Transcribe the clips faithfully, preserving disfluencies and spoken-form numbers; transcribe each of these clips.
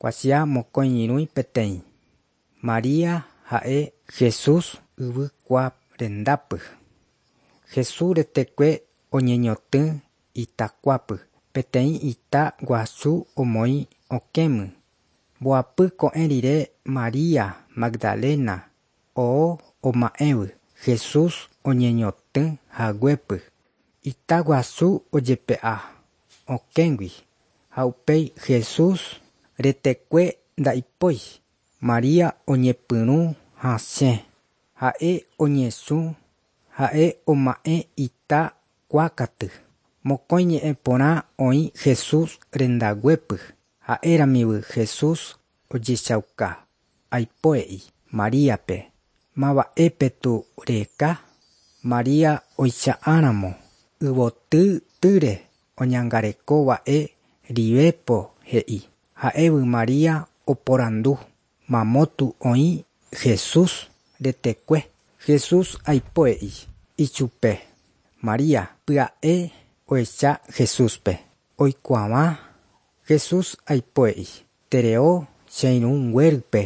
Kuatia mokõi irũi peteĩ. Maria ha'e Jesús yvykua rendápy. Jesús retekue oñeñotỹ itakuápe peteĩ ita guasu omoĩ okẽme. Mbohapy ko'ẽ rire Maria Magdalena oho oma'ẽvy Jesús oñeñotỹ haguépe. Ita guasu ojepe'a okẽgui ha upéi Jesús retekue ndaipói. Maria oñepyrũ hasẽ. Ha'e oñesũ, ha'e oma'ẽ ita kuákatu. Mokõi ñe'ẽ porã oĩ Jesús rendaguépy. Ha'éramivy Jesús ojechauka aipoe'i Maríape maba'épetu reheka. Maria oicha'ãramo yvotytýre oñangarekova'e rivépo he'i. Ha'évy Maria oporandu mamótu oĩ Jesús retekue. Jesús aipoe'i ichupe. Maria pya'e ohecha Jesúspe. Oikuaáva Jesús aipoe'i Tereo cheirũnguérype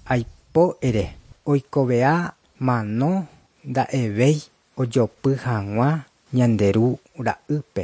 aipo ere oikovea mano nda'evéi ojopy hag̃ua Ñande Ru ra'ýpe.